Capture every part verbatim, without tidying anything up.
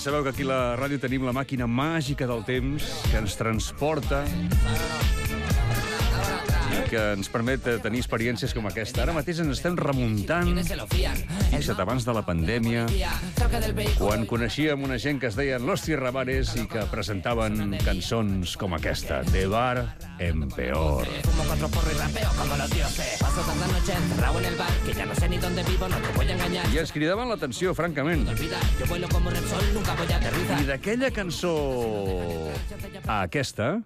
sabeu que aquí a la ràdio tenim la màquina màgica del temps que ens transporta i que ens permet tenir experiències com aquesta. Ara mateix ens estem remuntant, fixa't, abans de la pandèmia, quan coneixíem una gent que es deien Los Tierrabares i que presentaven cançons com aquesta, De bar en peor. I ens cridaven l'atenció, francament. I d'aquella cançó a aquesta...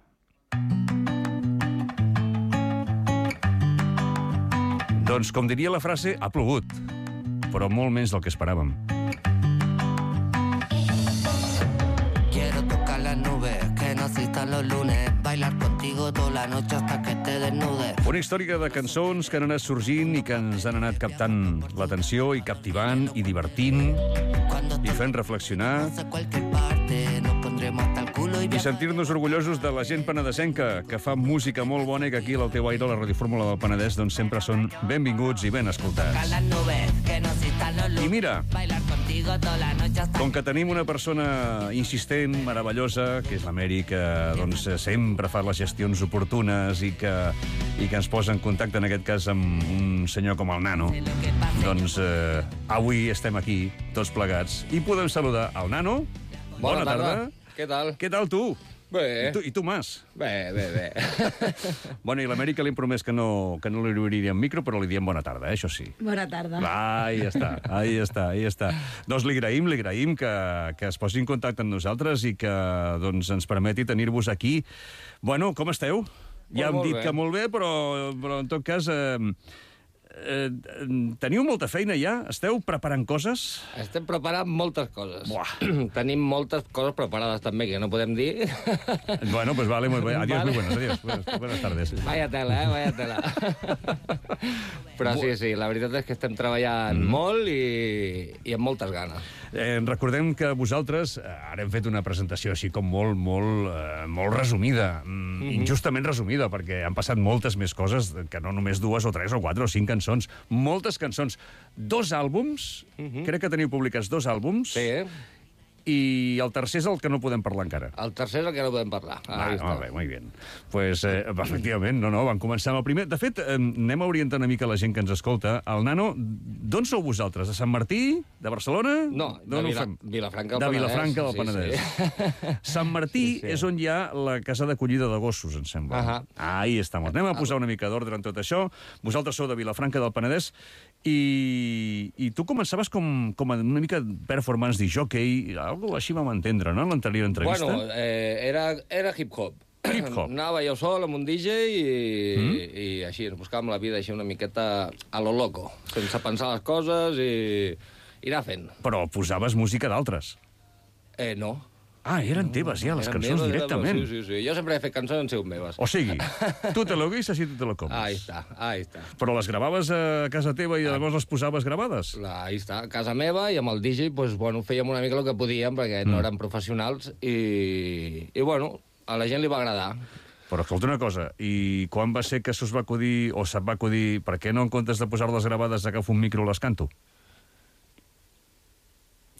Doncs, com diria la frase, ha plogut, però molt menys del que esperàvem. Quiero tocar las nubes, que no existan los lunes, bailar contigo toda la noche hasta que te desnudes. Una història de cançons que han anat sorgint i que ens han anat captant l'atenció i captivant i divertint i fent reflexionar i sentir-nos orgullosos de la gent penedesenca que fa música molt bona i que aquí a l'Alteu Aire, a la radiofórmula del Penedès, doncs sempre són benvinguts i ben escoltats. I mira, com que tenim una persona insistent, meravellosa, que és l'Amèri, que doncs, sempre fa les gestions oportunes i que, i que ens posa en contacte, en aquest cas, amb un senyor com el Nano, doncs eh, avui estem aquí, tots plegats, i podem saludar el Nano. Bona, Bona tarda. tarda. Què tal? Què tal, tu? Bé. I tu, i tu Mas? Bé, bé, bé. Bueno, i l'Amèrica li hem promès que no, que no li obriríem micro, però li diem bona tarda, eh? Això sí. Bona tarda. Va, ahí està, ahí està, ahí està. Doncs li agraïm, li agraïm que, que es posi en contacte amb nosaltres i que doncs, ens permeti tenir-vos aquí. Bueno, com esteu? Ja hem dit bé. que molt bé, però, però en tot cas... Eh, Eh, teniu molta feina ja? Esteu preparant coses? Estem preparant moltes coses. Buah. Tenim moltes coses preparades també, que no podem dir. Bueno, pues vale, muy bien. Adiós, Vale. muy buenos, adiós. Buenas, buenas tardes. Vaya tela, eh? Vaya tela. Però sí, sí, la veritat és que estem treballant mm. molt i, i amb moltes ganes. Eh, recordem que vosaltres, eh, ara hem fet una presentació així com molt, molt, eh, molt resumida, mm, mm-hmm. injustament resumida, perquè han passat moltes més coses que no només dues o tres o quatre o cinc cançons. Moltes cançons. Dos àlbums, mm-hmm. crec que teniu publicats dos àlbums. Sí. I el tercer és el que no podem parlar encara. El tercer és el que no podem parlar. Ah, molt bé, molt bé. Pues, eh, efectivament, no, no, van començar amb el primer. De fet, eh, anem a orientar una mica la gent que ens escolta. El Nano, d'on sou vosaltres? De Sant Martí? De Barcelona? No, de Vila, Vilafranca del de Penedès. Vilafranca del Penedès. Sí, sí. Sant Martí sí, sí. és on hi ha la casa d'acollida de gossos, em sembla. Uh -huh. Ahí estem. Anem a posar una mica d'ordre en tot això. Vosaltres sou de Vilafranca del Penedès i, i tu començaves com, com una mica performance de jockey, algo així vam entendre, no?, en l'anterior entrevista. Bueno, eh, era, era hip-hop. Hip-hop. Anava jo sol amb un D J i, mm? i així, ens buscàvem la vida així una miqueta a lo loco, sense pensar les coses i, i anar fent. Però posaves música d'altres. Eh, no. Ah, eren teves ja, les Eren cançons meves, directament. Sí, sí, sí. Jo sempre he fet cançons en sigut meves. O sigui, tu te lo guisas i tu te lo comes. Ahí està, ahí està. Però les gravaves a casa teva i llavors les posaves gravades? La, ahí està, a casa meva, i amb el D J, pues, bueno, fèiem una mica el que podíem, perquè mm. no érem professionals, i, i, bueno, a la gent li va agradar. Però escolta una cosa, i quan va ser que s'us va acudir, o se't va acudir, per què no en comptes de posar-les gravades agafo un micro i les canto?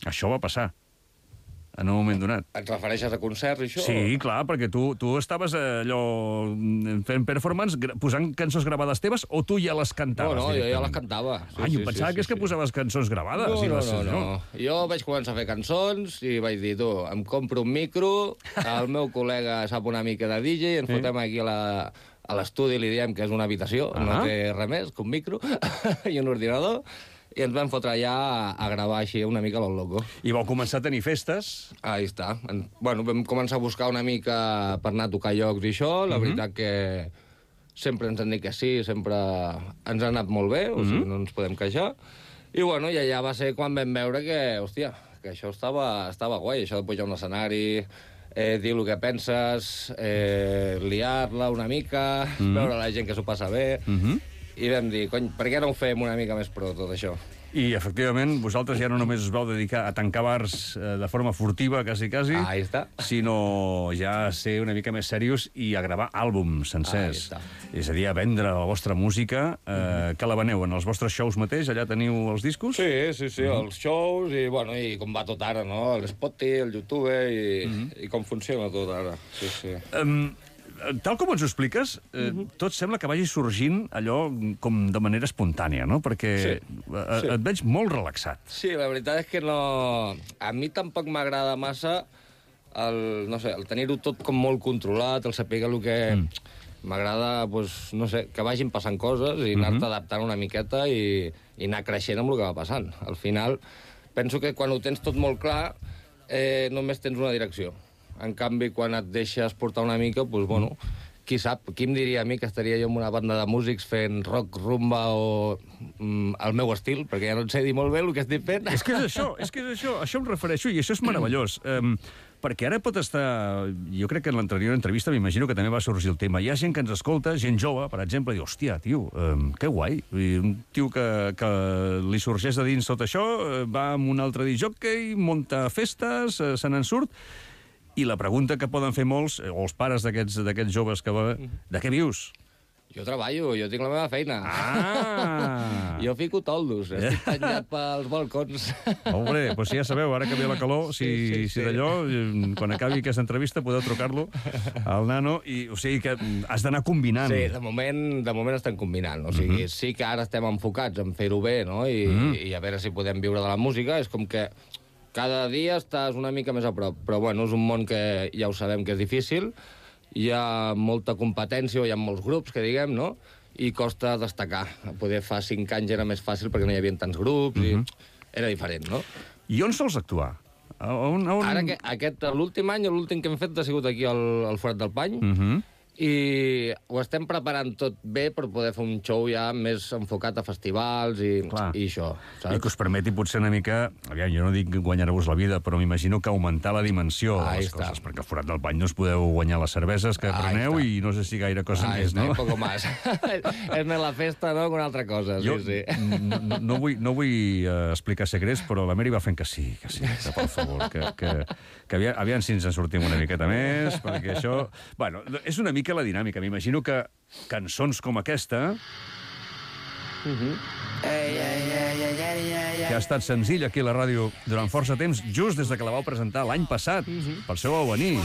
Això va passar en un moment donat. Et refereixes a concerts i això? Sí, clar, perquè tu, tu estaves allò fent performance, posant cançons gravades teves, o tu ja les cantaves? No, no, jo ja les cantava. Sí, ah, jo sí, pensava sí, que és sí, que posaves cançons gravades. No, i les... no, no, no. Jo vaig començar a fer cançons i vaig dir, tu, em compro un micro, el meu col·lega sap una mica de D J, ens sí. fotem aquí a la... a l'estudi, li diem que és una habitació, uh -huh. no té res més que un micro i un ordinador, i ens vam fotre allà a, a gravar així una mica lo loco. I vau començar a tenir festes? Ahí està. En, bueno, vam començar a buscar una mica per anar a tocar llocs i això. La uh -huh. veritat que sempre ens han dit que sí, sempre ens ha anat molt bé, o sigui, uh -huh. no ens podem queixar. I bueno, i allà va ser quan vam veure que, hòstia, que això estava, estava guai, això de pujar a un escenari, eh, dir el que penses, eh, liar-la una mica, uh -huh. veure la gent que s'ho passa bé... Uh -huh. I vam dir, cony, per què no ho fem una mica més pro, tot això? I, efectivament, vosaltres ja no només us vau dedicar a tancar bars eh, de forma furtiva, quasi, quasi, Ahí està. sinó ja a ser una mica més serios i a gravar àlbums sencers. Ahí està. És a dir, a vendre la vostra música, eh, que la veneu en els vostres shows mateix, allà teniu els discos? Sí, sí, sí, els shows i, bueno, i com va tot ara, no? L'Spotify, el YouTube i, i com funciona tot ara. Sí, sí. Um, tal com ens ho expliques, eh, tot sembla que vagi sorgint allò com de manera espontània, no? Perquè Sí, eh, sí. et veig molt relaxat. Sí, la veritat és que no... A mi tampoc m'agrada massa el, no sé, el tenir-ho tot com molt controlat, el saber el que... Mm. M'agrada, pues, no sé, que vagin passant coses i anar-te Mhm. adaptant una miqueta i, i anar creixent amb el que va passant. Al final, penso que quan ho tens tot molt clar, eh, només tens una direcció. En canvi, quan et deixes portar una mica, pues, bueno, qui sap, qui em diria a mi que estaria jo en una banda de músics fent rock, rumba o mm, el meu estil, perquè ja no en sé dir molt bé el que estic fent. És que és això, és que és això, això em refereixo, i això és meravellós. Um, perquè ara pot estar... Jo crec que en l'anterior entrevista m'imagino que també va sorgir el tema. Hi ha gent que ens escolta, gent jove, per exemple, i diu, hòstia, tio, um, que guai. I un tio que, que li sorgeix de dins tot això, eh, va amb un altre disjockey, munta festes, eh, se n'en surt, i la pregunta que poden fer molts, eh, o els pares d'aquests d'aquests joves que va... De què vius? Jo treballo, jo tinc la meva feina. Ah! Jo fico toldos, estic penjat pels balcons. Hombre, doncs ja sabeu, ara que ve la calor, si, Sí, sí, si sí. d'allò, eh, quan acabi aquesta entrevista, podeu trucar-lo al nano, i, o sigui que has d'anar combinant. Sí, de moment, de moment estem combinant. O sigui, sí que ara estem enfocats en fer-ho bé, no? I, I a veure si podem viure de la música. És com que cada dia estàs una mica més a prop. Però, bueno, és un món que ja ho sabem que és difícil. Hi ha molta competència, hi ha molts grups, que diguem, no? I costa destacar. Poder fa cinc anys era més fàcil perquè no hi havia tants grups i era diferent, no? I on sols actuar? A On, a on... Ara, que, aquest, l'últim any, l'últim que hem fet ha sigut aquí al, al Forat del Pany, Mhm. i ho estem preparant tot bé per poder fer un show ja més enfocat a festivals i, Clar. i això, I saps? que us permeti potser una mica... Aviam, jo no dic guanyar-vos la vida, però m'imagino que augmentar la dimensió de Ahí les està. coses, perquè al Forat del Pany no us podeu guanyar les cerveses que Ahí preneu està. i no sé si gaire cosa Ah, més, està, no? un poco más. És més la festa, no?, que una altra cosa, Jo sí, sí. no, no, no vull, no vull uh, explicar secrets, però la Mary va fent que sí, que sí, que per favor, que, que, que aviam, aviam si ens en sortim una miqueta més, perquè això... Bueno, és una mica la dinàmica. M'imagino que cançons com aquesta, que ha estat senzill aquí a la ràdio durant força temps, just des de que la vau presentar l'any passat, per això vau venir.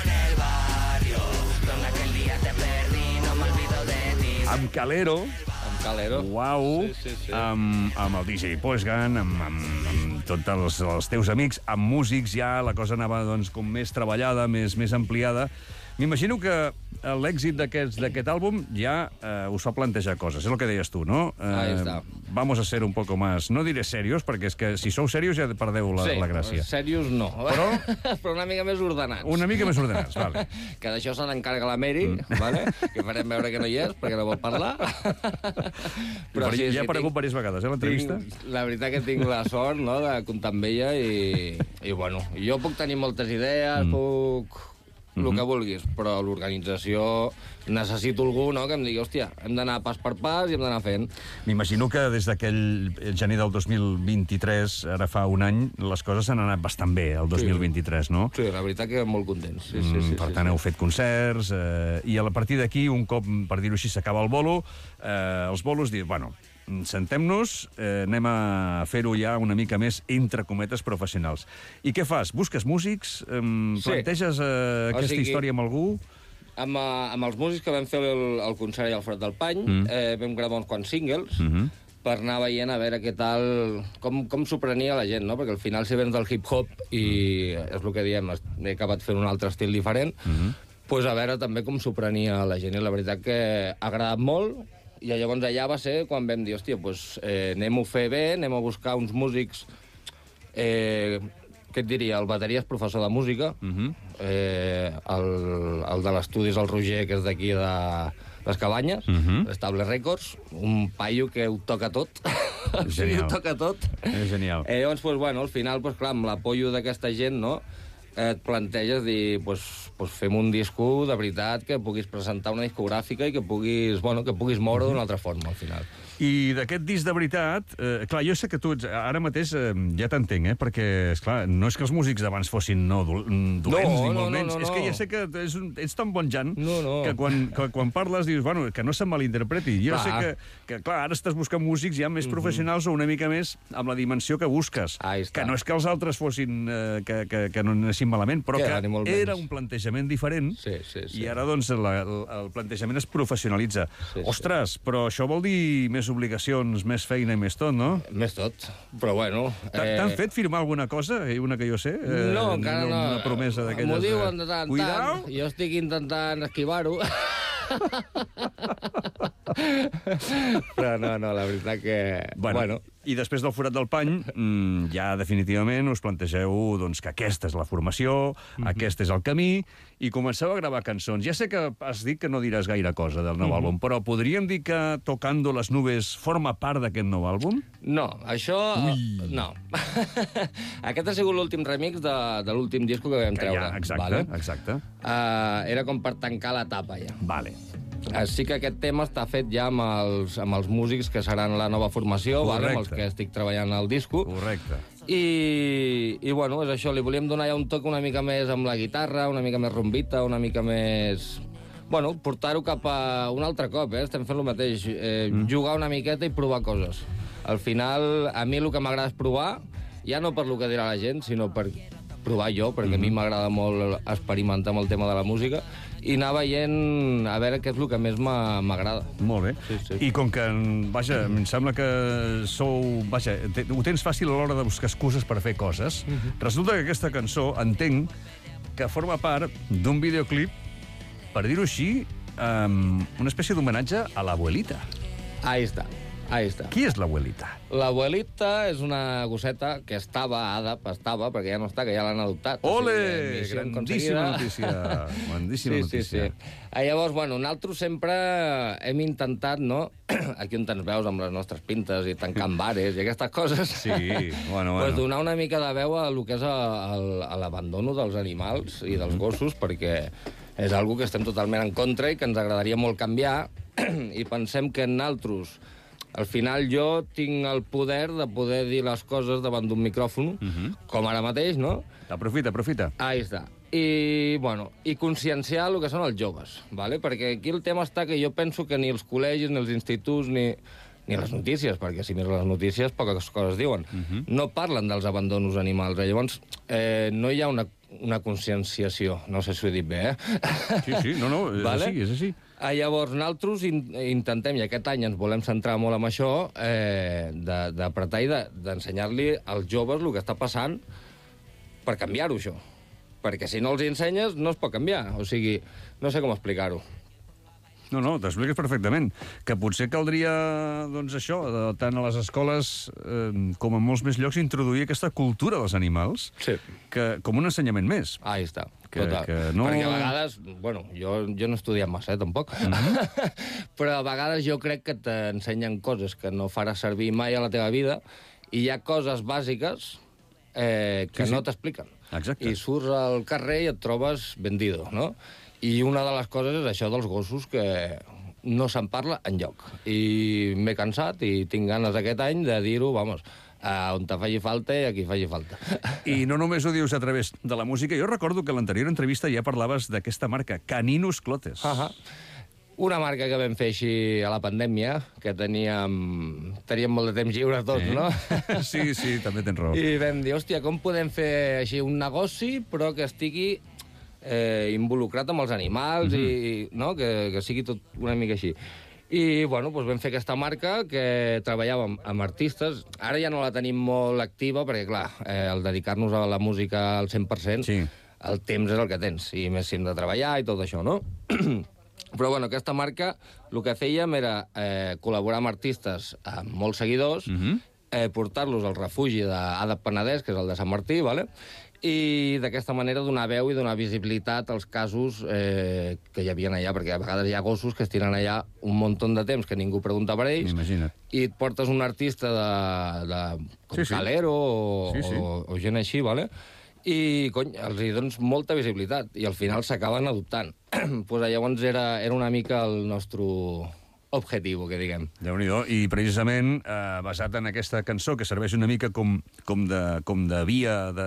Amb Calero, Amb Calero. Uau, Sí, sí, sí. Amb, amb el D J Postgan, amb, amb, amb tots els, els teus amics, amb músics ja, la cosa anava doncs, com més treballada, més, més ampliada. M'imagino que l'èxit d'aquest d'aquest àlbum ja eh, us fa plantejar coses, és el que deies tu, no? Eh, Ahí está. Vamos a ser un poco más, no diré serios, perquè és que si sou serios ja perdeu la, sí, la gràcia. serios no. Però? Però una mica més ordenats. Una mica més ordenats, vale. Que d'això se n'encarga la Mary, vale? Que farem veure que no hi és, perquè no vol parlar. Però ja ha aparegut tinc- diverses vegades, eh, l'entrevista? tinc- La veritat que tinc la sort, no?, de comptar amb ella i, i bueno, jo puc tenir moltes idees, mm. puc... el que vulguis, però l'organització necessito algú, no?, que em digui, hòstia, hem d'anar pas per pas i hem d'anar fent. M'imagino que des d'aquell gener del dos mil vint-i-tres, ara fa un any, les coses han anat bastant bé, el dos mil vint-i-tres, no? Sí, la veritat que molt contents. Sí, sí, sí, Mm, per sí, tant, sí. heu fet concerts, eh, i a la partir d'aquí, un cop, per dir-ho així, s'acaba el bolo, eh, els bolos diuen, bueno, sentem-nos, eh, anem a fer-ho ja una mica més, entre cometes, professionals. I què fas? Busques músics? Eh, Sí. planteges eh, O aquesta sigui- història amb algú? Amb, uh, amb els músics que vam fer el, el concert allà al Forat del Pany, mm. eh, vam gravar uns quants singles, Mm -hmm. per anar veient a veure què tal, com, com s'ho prenia la gent, no? Perquè al final si vens del hip-hop i és el que diem, he acabat fent un altre estil diferent, mm -hmm. pues a veure també com s'ho prenia la gent. I la veritat que ha agradat molt, i llavors allà va ser quan vam dir, hòstia, pues, eh, anem-ho a fer bé, anem a buscar uns músics... Eh, què et diria? El bateria és professor de música, Mm -hmm. eh, el, el de l'estudi és el Roger, que és d'aquí de les Cabanyes, Mhm. l'Estable Records, un paio que ho toca tot. O sigui, Genial. ho toca tot. És genial. Eh, llavors, pues, bueno, al final, pues, clar, amb l'apoyo d'aquesta gent, no?, et planteges dir, pues, pues fem un disco de veritat que puguis presentar una discogràfica i que puguis, bueno, que puguis moure d'una altra forma, al final. I d'aquest disc de veritat, eh, clar, jo sé que tu ets, ara mateix eh, ja t'entenc, eh, perquè, esclar, no és que els músics d'abans fossin no, dolents, No, ni no, molt no, menys. no, no. És que ja sé que ets, un, ets tan bon Jan No, no. que, quan, que quan parles dius, bueno, que no se'm malinterpreti. Jo Clar. sé que, que, clar, ara estàs buscant músics ja més professionals o una mica més amb la dimensió que busques. Ahí està. Que no és que els altres fossin, eh, que, que, que no anessin malament, però Que que ni molt era menys. un plantejament diferent. Sí, sí, sí. I ara, doncs, la, el, el plantejament es professionalitza. Sí, sí. Ostres, però això vol dir més obligacions, més feina i més tot, no? Més tot, però bueno... T'han fet firmar alguna cosa? Eh, Una que jo sé? Eh, No, encara no. Una promesa d'aquelles... M'ho diuen de tant en Cuidao! tant. Jo estic intentant esquivar-ho. Però no, no, la veritat que... Bueno, bueno. I després del forat del pany, mmm, ja definitivament us plantegeu doncs, que aquesta és la formació, mm-hmm. aquest és el camí, i comenceu a gravar cançons. Ja sé que has dit que no diràs gaire cosa del nou mm-hmm. àlbum, però podríem dir que Tocando las nubes forma part d'aquest nou àlbum? No, això... Ui. No. Aquest ha sigut l'últim remix de, de l'últim disco que vam Que treure. ja, exacte, vale? exacte. Uh, era com per tancar l'etapa, ja. Vale. Uh, sí que aquest tema està fet ja amb els, amb els músics que seran la nova formació, vale? Amb els que estic treballant al disco. Correcte. I, i bueno, és això, li volíem donar ja un toc una mica més amb la guitarra, una mica més rombita, una mica més... Bueno, portar-ho cap a un altre cop, eh? Estem fent el mateix, eh, mm. jugar una miqueta i provar coses. Al final, a mi el que m'agrada és provar, ja no per lo que dirà la gent, sinó per provar jo, perquè mm. a mi m'agrada molt experimentar amb el tema de la música, i anar veient a veure què és el que més m'agrada. Molt bé. Sí, sí. I com que, vaja, em sembla que sou... Vaja, te, ho tens fàcil a l'hora de buscar excuses per fer coses, uh-huh. resulta que aquesta cançó, entenc, que forma part d'un videoclip, per dir-ho així, um, una espècie d'homenatge a l'abuelita. Ahí està. Ahí està. Qui és l'abuelita? L'abuelita és una gosseta que estava, àdap, estava, perquè ja no està, que ja l'han adoptat. Ole! O sigui, Grandíssima notícia. Grandíssima sí, notícia. Sí, sí. Ah, llavors, bueno, nosaltres sempre hem intentat, no?, aquí on ens veus amb les nostres pintes i tancant bares i aquestes coses, Sí, bueno, bueno. pues donar una mica de veu a lo que és l'abandono dels animals i dels gossos, perquè és algo que estem totalment en contra i que ens agradaria molt canviar, i pensem que nosaltres... Al final jo tinc el poder de poder dir les coses davant d'un micròfon, uh-huh. com ara mateix, no? Aprofita, aprofita. Ahí està. I, bueno, i conscienciar el que són els joves, ¿vale? Perquè aquí el tema està que jo penso que ni els col·legis, ni els instituts, ni, ni les notícies, perquè si mires les notícies poques coses diuen, uh-huh. no parlen dels abandonos animals. Llavors, eh, no hi ha una, una conscienciació. No sé si ho he dit bé, eh? Sí, sí, no, no, és vale? així, és així. Ah, llavors, nosaltres in intentem, i aquest any ens volem centrar molt en això, eh, d'apretar i d'ensenyar-li als joves el que està passant per canviar-ho, això. Perquè si no els ensenyes, no es pot canviar. O sigui, no sé com explicar-ho. No, no, t'expliques perfectament. Que potser caldria, doncs això, de, tant a les escoles eh, com en molts més llocs, introduir aquesta cultura dels animals Sí. que, com un ensenyament més. Ahí està. Que- Total. que no- Perquè a vegades, bueno, jo, jo no he estudiat massa, eh, tampoc, Mm-hmm. però a vegades jo crec que t'ensenyen coses que no faràs servir mai a la teva vida i hi ha coses bàsiques eh, que Sí, sí. no t'expliquen. Exacte. I surts al carrer i et trobes vendido, no? I una de les coses és això dels gossos, que no se'n parla enlloc. I m'he cansat i tinc ganes aquest any de dir-ho, vamos, a on te faci falta i a qui faci falta. I no només ho dius a través de la música. Jo recordo que a l'anterior entrevista ja parlaves d'aquesta marca, Caninos Clotes. Ahà. Una marca que vam fer així a la pandèmia, que teníem, teníem molt de temps lliure tots, Eh? no? Sí, sí, també tens raó. I vam dir, hòstia, com podem fer així un negoci, però que estigui eh, involucrat amb els animals, mm-hmm. i no? que, que sigui tot una mica així. I, bueno, doncs vam fer aquesta marca que treballàvem amb artistes. Ara ja no la tenim molt activa, perquè, clar, eh, el dedicar-nos a la música al cent per cent, Sí. el temps és el que tens, i més si hem de treballar i tot això, no? Però, bueno, aquesta marca, el que fèiem era eh, col·laborar amb artistes amb molts seguidors, Mhm. eh, portar-los al refugi d'Àdap Penedès, que és el de Sant Martí, vale? I d'aquesta manera donar veu i donar visibilitat als casos eh, que hi havia allà, perquè a vegades hi ha gossos que es tiren allà un munt de temps que ningú pregunta per ells, Imagina't. i et portes un artista de, de com Sí, sí. Calero o, Sí, sí. o, o gent així, vale? i, cony, els hi dones molta visibilitat, i al final s'acaben adoptant. Pues llavors era, era una mica el nostre objectiu, que diguem. Déu-n'hi-do. I precisament eh, basat en aquesta cançó, que serveix una mica com, com, de, com de via de,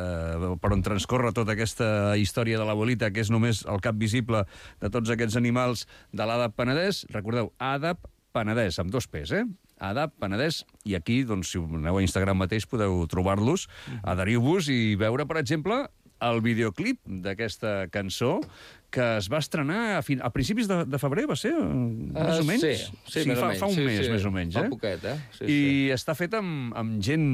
per on transcorre tota aquesta història de l'abuelita, que és només el cap visible de tots aquests animals de l'Adap Penedès. Recordeu, Adap Penedès, amb dos P's, eh? Adap Penedès, i aquí, doncs, si aneu a Instagram mateix, podeu trobar-los, adheriu-vos i veure, per exemple, el videoclip d'aquesta cançó, que es va estrenar a, fin... a principis de, de febrer, va ser? Uh, més o menys? Sí, sí, sí més fa, o menys. Fa un sí, mes, sí. més o menys, Fa eh? poquet, eh? Sí, I sí. està fet amb, amb, gent,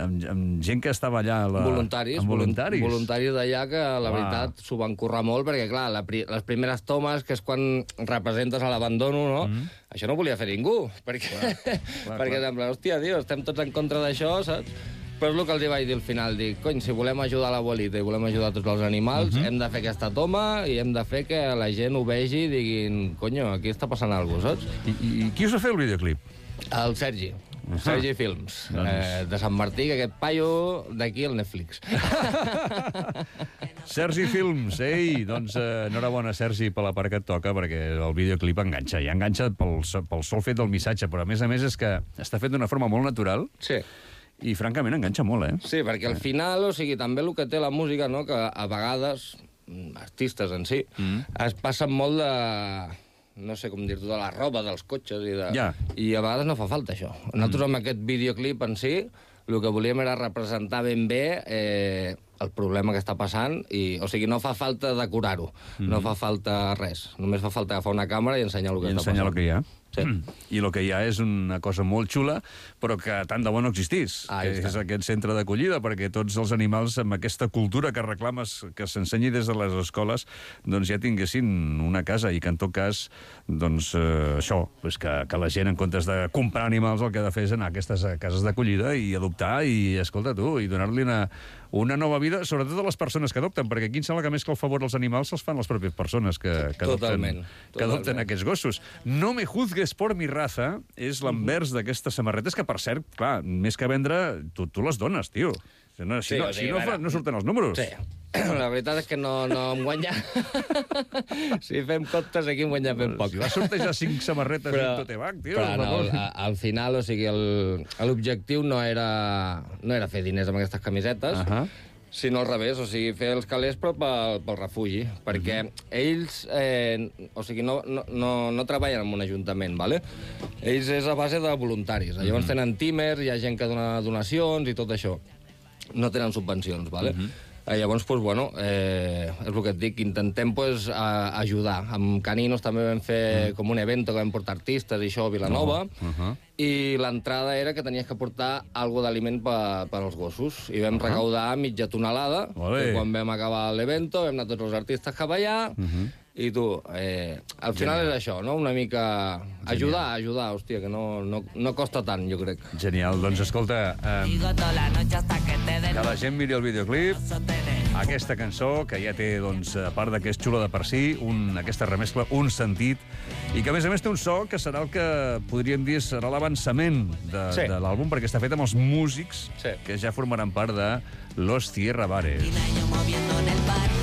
amb, amb gent que estava allà... La... Voluntaris. Amb voluntaris. Voluntaris d'allà que, la Uau. veritat, s'ho van currar molt, perquè, clar, la, pri les primeres tomes, que és quan representes a l'abandono, no? Mm -hmm. Això no volia fer ningú, perquè, clar, clar, perquè clar. Sembla, hòstia, tio, estem tots en contra d'això, saps? Però és el que els vaig dir al final, dic, cony, si volem ajudar l'abuelita i volem ajudar tots els animals, uh -huh. hem de fer aquesta toma i hem de fer que la gent ho vegi i diguin, conyo, aquí està passant alguna cosa, saps? I, i, I qui us va fer el videoclip? El Sergi. Uh -huh. Sergi Films, Doncs... eh, de Sant Martí, que aquest paio d'aquí al Netflix. Sergi Films, ei, doncs eh, enhorabona, Sergi, per la part que et toca, perquè el videoclip enganxa, i enganxa pel, pel sol fet del missatge, però a més a més és que està fet d'una forma molt natural, Sí. i francament enganxa molt, eh? Sí, perquè al final, o sigui, també el que té la música, no?, que a vegades, artistes en si, mm. es passen molt de... no sé com dir-ho, de la roba, dels cotxes i de... Ja. I a vegades no fa falta, això. Nosaltres, amb aquest videoclip en si, el que volíem era representar ben bé eh, el problema que està passant, i, o sigui, no fa falta decorar-ho, mm. no fa falta res. Només fa falta agafar una càmera i ensenyar el que I està ensenyar passant. el que hi ha. Sí. I el que hi ha és una cosa molt xula, però que tant de bo no existís, Ah, que és aquest centre d'acollida, perquè tots els animals, amb aquesta cultura que reclames que s'ensenyi des de les escoles, doncs ja tinguessin una casa, i que en tot cas, doncs eh, això, doncs que, que la gent, en comptes de comprar animals, el que ha de fer és anar a aquestes cases d'acollida i adoptar, i, escolta tu, i donar-li una, una nova vida, sobretot a les persones que adopten, perquè aquí em sembla que més que el favor als animals se'ls fan les pròpies persones que, que, adopten, Totalment, que adopten totalment. aquests gossos. No me juzgues por mi raza és l'envers d'aquestes samarretes, que, per cert, clar, més que vendre, tu, tu les dones, tio. Si no, si Sí, no, o sigui, si no, fa, ara- no surten els números. Sí. La veritat és que no, no em guanya. Si fem comptes, aquí em guanya ben poc. Si vas sortejar cinc samarretes Però- en Totebac, tio. Però per no, favor. al, al final, o sigui, el- l'objectiu no era, no era fer diners amb aquestes camisetes, Ahà. sinó al revés, o sigui, fer els calés però pel, pel refugi, perquè ells, eh, o sigui, no, no, no, no treballen en un ajuntament, ¿vale? Ells és a base de voluntaris. Llavors tenen tímers, hi ha gent que dona donacions i tot això. No tenen subvencions, ¿vale? Eh, Llavors, pues, bueno, eh, és el que et dic, intentem pues, a, ajudar. Amb Caninos també vam fer com un evento que vam portar artistes i això a Vilanova, Uh-huh. i l'entrada era que tenies que portar algo d'aliment per, per als gossos. I vam recaudar mitja tonelada, Olé. i quan vam acabar l'evento vam anar tots els artistes cap allà, i tu, eh, al final és això, no? Una mica ajudar, ajudar, hòstia, que no, no, no costa tant, jo crec. Genial. Doncs escolta, eh, Digo toda la noche hasta que te den que la gent miri el videoclip, aquesta cançó, que ja té, doncs, a part de que és xula de per si, un, aquesta remescla, un sentit, i que, a més a més, té un so que serà el que podríem dir serà l'avançament de, Sí. de l'àlbum, perquè està fet amb els músics Sí. que ja formaran part de Los Tierra Bares. años moviendo en el parque.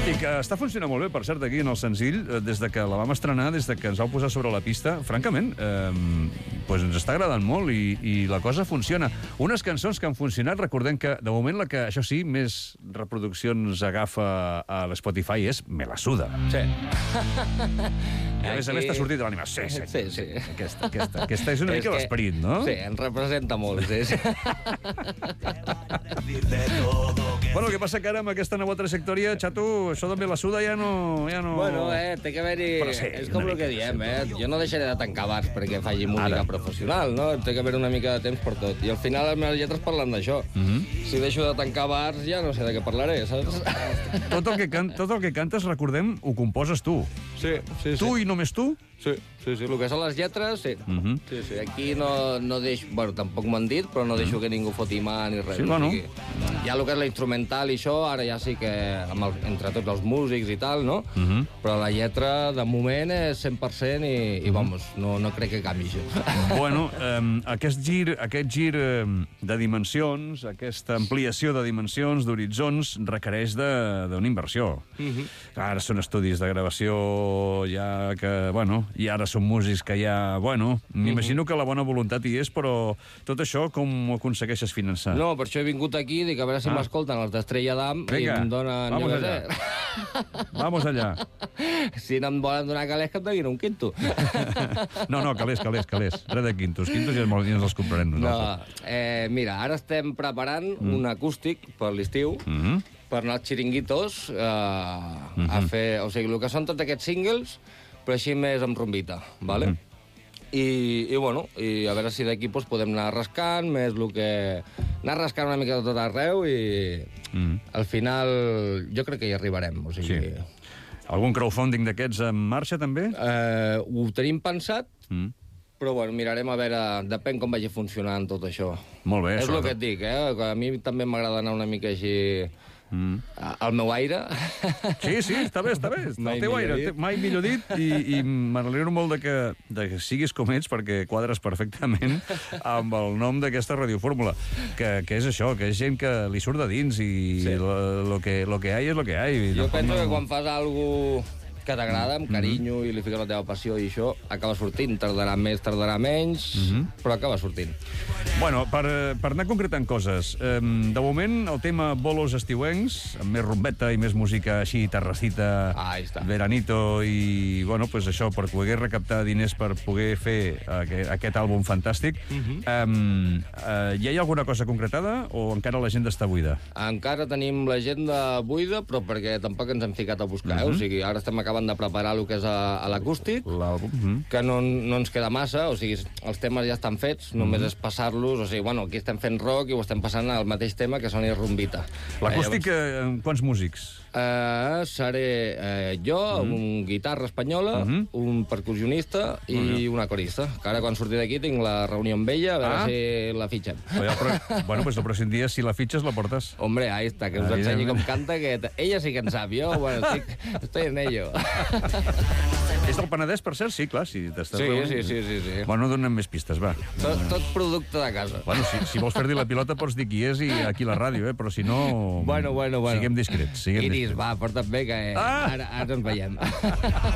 I que està funcionant molt bé, per cert, aquí en el senzill, eh, des de que la vam estrenar, des de que ens vau posar sobre la pista, francament, eh, pues ens està agradant molt, i, i la cosa funciona. Unes cançons que han funcionat, recordem que, de moment, la que, això sí, més reproduccions agafa a l'Spotify és Me la suda. Sí. I a més a més t'ha sortit de l'ànima. Sí, sí, Sí, sí. Aquesta, aquesta, aquesta és una És mica que- l'esperit, no? Sí, ens representa molt, sí. sí. Bueno, el que passa que ara amb aquesta nova trajectòria, xato, això de Me la suda ja no... Ja no... Bueno, eh, té que haver-hi... Però sí, és una com el mica, que diem, eh? Jo no deixaré de tancar bars perquè faci música Ara. professional, no? Té que haver una mica de temps per tot. I al final les meves lletres parlen d'això. Si deixo de tancar bars ja no sé de què parlaré, saps? Tot el que, can... Tot el que cantes, recordem, ho composes tu. Sí, sí, Tu i només tu? Sí, sí, sí. El que són les lletres, sí. Mhm. Sí, sí. Aquí no, no deixo... Bueno, tampoc m'ho han dit, però no deixo que ningú foti mà ni res. Sí, o bueno. sigui, hi ha el que és la instrumental i això, ara ja sí que amb el, entre tots els músics i tal, no? Uh -huh. Però la lletra, de moment, és cent per cent i, i vamos, no, no crec que canvi això. Bueno, eh, aquest gir, aquest gir eh, de dimensions, aquesta ampliació de dimensions, d'horitzons, requereix d'una inversió. Uh -huh. Ara són estudis de gravació ja que, bueno, i ara són músics que ja, bueno, m'imagino uh -huh. que la bona voluntat hi és, però tot això com ho aconsegueixes finançar? No, per això he vingut aquí, dic, a veure si ah. m'escolten els d'Estrella d'Am i em donen... Vamos allà. Vamos allà. Si no em volen donar calés, que em donin un quinto. No, no, calés, calés, calés. Res de quintos. Quintos ja ens els comprarem nosaltres. No, eh, mira, ara estem preparant mm. un acústic per l'estiu, mm -hmm. per anar als xiringuitos eh, mm -hmm. a fer... O sigui, el que són tots aquests singles, però així més amb rombita, ¿vale? Mm -hmm. I, i, bueno, i a veure si d'aquí pues, podem anar rascant, més el que... Anar rascant una mica de tot arreu i mm. al final jo crec que hi arribarem, o sigui... Sí. Algun crowdfunding d'aquests en marxa, també? Eh, ho tenim pensat, mm. però, bueno, mirarem a veure... Depèn com vagi funcionant tot això. Molt bé, És això. el que et dic, eh? A mi també m'agrada anar una mica així... Mm. Al meu aire. Sí, sí, està bé, està bé. Mai el teu aire, dit. mai millor dit, i, i m'alegro molt de que, de que siguis com ets, perquè quadres perfectament amb el nom d'aquesta radiofórmula, que, que és això, que és gent que li surt de dins, i sí. lo, lo, que, lo que hay és lo que hay. Jo penso no... que quan fas alguna que t'agrada, amb carinyo, mm-hmm. i li fiques la teva passió i això, acaba sortint. Tardarà més, tardarà menys, mm-hmm. però acaba sortint. Bueno, per, per anar concretant coses, eh, de moment el tema bolos estiuencs, amb més rumbeta i més música així, terracita, ah, veranito, i, bueno, pues això, per poder recaptar diners per poder fer aquest, aquest àlbum fantàstic. Mm-hmm. eh, eh, ja hi ha alguna cosa concretada o encara l'agenda està buida? Encara tenim l'agenda buida, però perquè tampoc ens hem ficat a buscar, mm-hmm. eh? O sigui, ara estem acabant de preparar el que és a, a l'acústic, mm-hmm. que no, no ens queda massa, o sigui, els temes ja estan fets, mm-hmm. només és passar-los, o sigui, bueno, aquí estem fent rock i ho estem passant al mateix tema que soni rumbita. L'acústic, eh, llavors... quants músics? Uh, seré uh, jo, mm-hmm. un guitarra espanyola, mm-hmm. un percussionista i mm-hmm. una corista, que ara quan surti d'aquí tinc la reunió amb ella, a veure ah. si la fitxem. Però, bueno, pues el pròxim dia, si la fitxes, la portes. Hombre, ahí està, que us ah, ensenyi com canta, que ella sí que en sap, jo, bueno, estic, estoy en ello. És del Penedès, per cert? Sí, clar. Si sí, sí, sí, sí, sí. Bueno, donem més pistes, va. Tot, tot producte de casa. Bueno, si, si vols fer-li la pilota pots dir qui és i aquí a la ràdio, eh? Però si no... Bueno, bueno, bueno. Siguem discrets. Siguem Iris, discrets. va, porta't bé, que ah! ara, ara ens veiem.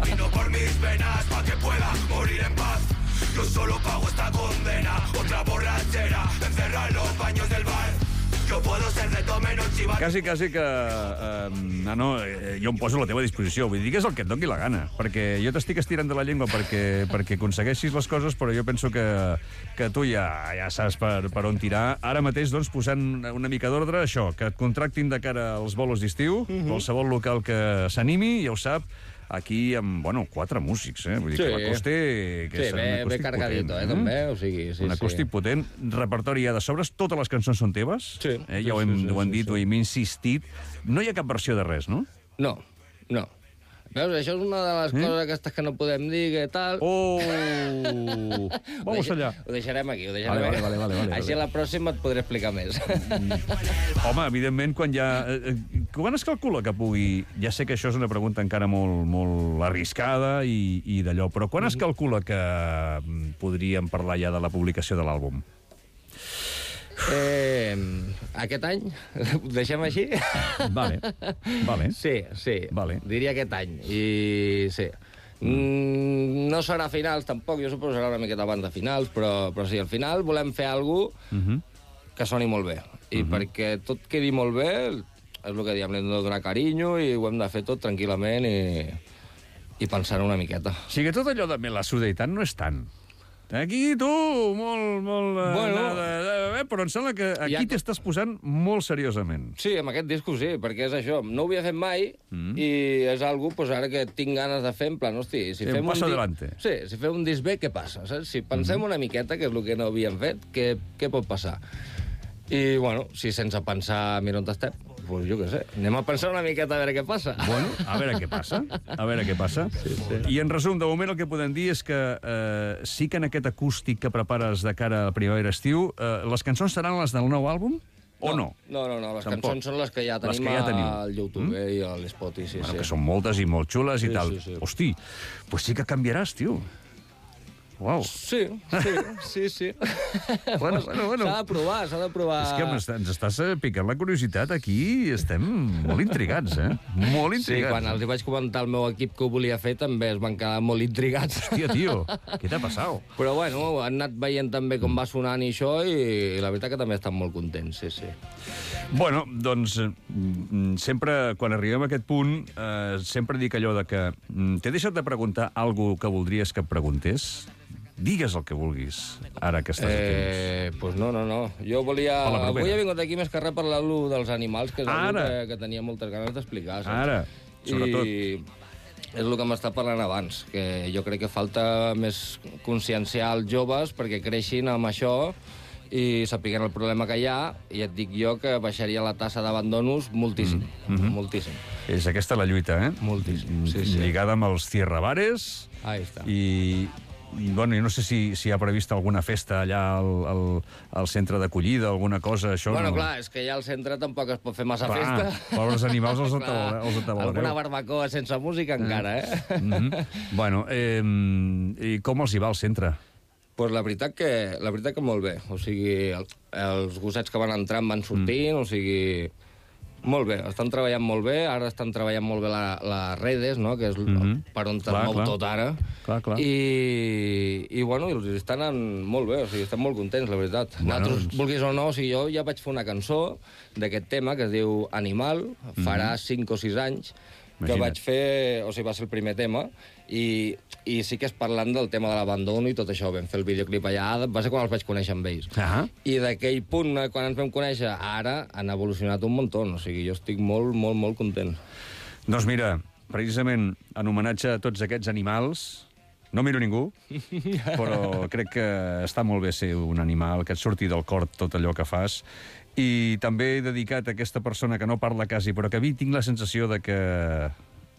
Vino por mis venas pa' que pueda morir en paz. Yo solo pago esta condena. Otra borrachera encerrada en los baños del bar. Yo puedo ser de todo menos chivato. Quasi, quasi que... Eh, no, no, eh, jo em poso a la teva disposició. Vull dir que és el que et doni la gana. Perquè jo t'estic estirant de la llengua perquè, perquè aconsegueixis les coses, però jo penso que, que tu ja, ja saps per, per on tirar. Ara mateix, doncs, posant una mica d'ordre, això, que et contractin de cara als bolos d'estiu, uh-huh. qualsevol local que s'animi, ja ho sap, aquí amb, bueno, quatre músics, eh? Vull dir sí. que l'acústic... Sí, bé, bé cargadito, potent, eh, també, o sigui... Sí, un acústic sí. potent, repertori ja de sobres, totes les cançons són teves, sí, eh? ja ho hem, sí, sí, ho hem dit, sí, sí. ho hem insistit. No hi ha cap versió de res, no? No, no. Veus, això és una de les eh? coses aquestes que no podem dir, que tal... Oh! Vamos ho allà. Ho deixarem aquí, ho deixarem vale, aquí. Vale, vale, vale, Així a la pròxima et podré explicar més. Home, evidentment, quan ja... Quan es calcula que pugui... Ja sé que això és una pregunta encara molt, molt arriscada i, i d'allò, però quan es calcula que podríem parlar ja de la publicació de l'àlbum? Eh, aquest any? Ho deixem així? Vale, vale. Sí, sí, vale. Diria aquest any. I sí. Mm, no serà a finals, tampoc, jo suposo que serà una miqueta abans de finals, però, però sí, al final volem fer alguna cosa uh-huh. que soni molt bé. I uh-huh. perquè tot quedi molt bé, és el que diem, hem de donar carinyo i ho hem de fer tot tranquil·lament i, i pensar una miqueta. O sigui, tot allò de me la sudaitat no és tant. Aquí, tu, molt, molt... Bueno, nada, eh, però em sembla que aquí ja... t'estàs posant molt seriosament. Sí, amb aquest disco sí, perquè és això. No ho havia fet mai mm. i és algo pues, ara que tinc ganes de fer, en plan, hosti, si sí, fem un... Passa di... adelante. Sí, si fem un disc bé, què passa? Saps? Si pensem mm. una miqueta, que és el que no havíem fet, què, què pot passar? I, bueno, si sense pensar, mira on estem, pues jo què sé, anem a pensar una miqueta a veure què passa. Bueno, a veure què passa, a veure què passa. Sí, sí. I en resum, de moment el que podem dir és que eh, sí que en aquest acústic que prepares de cara a primavera-estiu, eh, les cançons seran les del nou àlbum? o no? No, no, no, les Tampoc. cançons són les que ja tenim que ja teniu. al YouTube mm? eh, i a l'Spot, sí, Bueno, sí. que són moltes i molt xules Sí, i tal. sí, sí. Hosti, pues sí que canviaràs, tio. Uau. Sí, sí, sí, sí. Bueno, bueno, bueno. S'ha de provar, s'ha de provar... És que ens, ens estàs eh, picant la curiositat aquí, estem molt intrigats, eh? Molt Sí, intrigats. quan els hi vaig comentar al meu equip que ho volia fer també es van quedar molt intrigats. Hòstia, tio, què t'ha passat? Però bueno, han anat veient també com va sonant i això i la veritat que també estan molt contents, sí, sí. Bueno, doncs, mm, sempre, quan arribem a aquest punt, eh, sempre dic allò de que mm, t'he deixat de preguntar alguna que voldries que et preguntés? Digues el que vulguis, ara que estàs aquí. Eh, pues no, no, no. Jo volia... Per la propera. Avui he vingut aquí més que res per parlar-lo dels animals, que és Ara. una que, que tenia moltes ganes d'explicar. saps? Ara, sobretot. I és el que m'està parlant abans, que jo crec que falta més conscienciar els joves perquè creixin amb això i sapiguen el problema que hi ha, i et dic jo que baixaria la tassa d'abandonos moltíssim, mm -hmm. moltíssim. És aquesta la lluita, eh? Moltíssim, sí, sí. Lligada amb els Tierra Bares. Ahí està. I, i bueno, jo no sé si, si hi ha prevista alguna festa allà al, al, al centre d'acollida, alguna cosa, això... Bueno, no... clar, és que ja al centre tampoc es pot fer massa Clar, festa. pobres animals els Clar, atabalareu. Els atabalareu. Alguna barbacoa sense música encara, eh? Mm -hmm. Bueno, eh, i com els hi va al centre? Pues la veritat que, la veritat que molt bé. O sigui, el, els gossets que van entrant van sortint, mm. o sigui... Molt bé, estan treballant molt bé, ara estan treballant molt bé la, les redes, no?, que és mm -hmm. per on es mou clar. tot ara. Clar, clar. I, i bueno, els estan anant molt bé, o sigui, estan molt contents, la veritat. Bueno, Nosaltres, doncs... vulguis o no, o sigui, jo ja vaig fer una cançó d'aquest tema que es diu Animal, farà cinc o sis anys, que Imagina't. vaig fer, o sigui, va ser el primer tema, i, i sí que és parlant del tema de l'abandono i tot això. Vam fer el videoclip allà, va ser quan els vaig conèixer amb ells. Ah. I d'aquell punt, eh, quan ens vam conèixer, ara han evolucionat un muntó. O sigui, jo estic molt, molt, molt content. Doncs mira, precisament en homenatge a tots aquests animals, no miro ningú, però crec que està molt bé ser un animal, que et surti del cor tot allò que fas. I també he dedicat a aquesta persona que no parla quasi, però que a mi tinc la sensació de que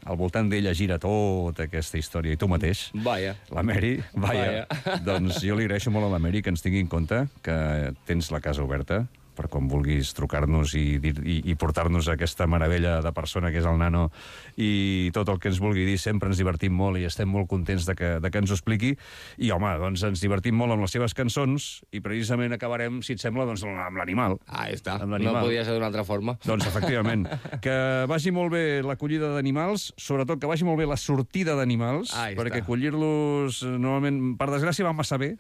al voltant d'ella gira tota aquesta història. I tu mateix, Vaja. la Mary, vaja, doncs jo li agraeixo molt a la Mary que ens tingui en compte, que tens la casa oberta per quan vulguis trucar-nos i, dir- i, i portar-nos aquesta meravella de persona que és el nano, i tot el que ens vulgui dir. Sempre ens divertim molt i estem molt contents de que, de que ens ho expliqui. I, home, doncs ens divertim molt amb les seves cançons i precisament acabarem, si et sembla, doncs, amb l'animal. Ah, està. Amb l'animal. No podia ser d'una altra forma. Doncs, efectivament, que vagi molt bé l'acollida d'animals, sobretot que vagi molt bé la sortida d'animals, Ahí perquè està. acollir-los, eh, normalment, per desgràcia, va massa bé.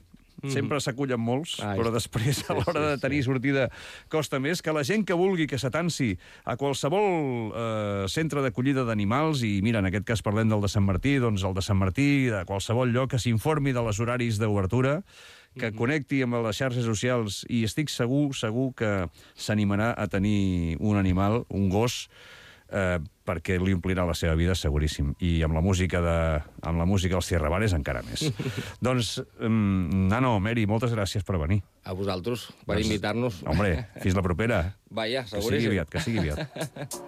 Sempre s'acullen molts, Ahí però està. després, a Sí, l'hora sí, de tenir sortida, costa més. Que la gent que vulgui que s'atansi a qualsevol eh, centre d'acollida d'animals, i mira, en aquest cas parlem del de Sant Martí, doncs el de Sant Martí, de qualsevol lloc, que s'informi de les horaris d'obertura, que connecti amb les xarxes socials, i estic segur, segur que s'animarà a tenir un animal, un gos, eh, perquè li omplirà la seva vida, seguríssim. I amb la música de, amb la música dels Tierra Bares encara més. Doncs, um, Nano, Mary, moltes gràcies per venir. A vosaltres, per Doncs, invitar-nos. Hombre, fins la propera. Vaja, Que sigui seguríssim. aviat, que sigui aviat.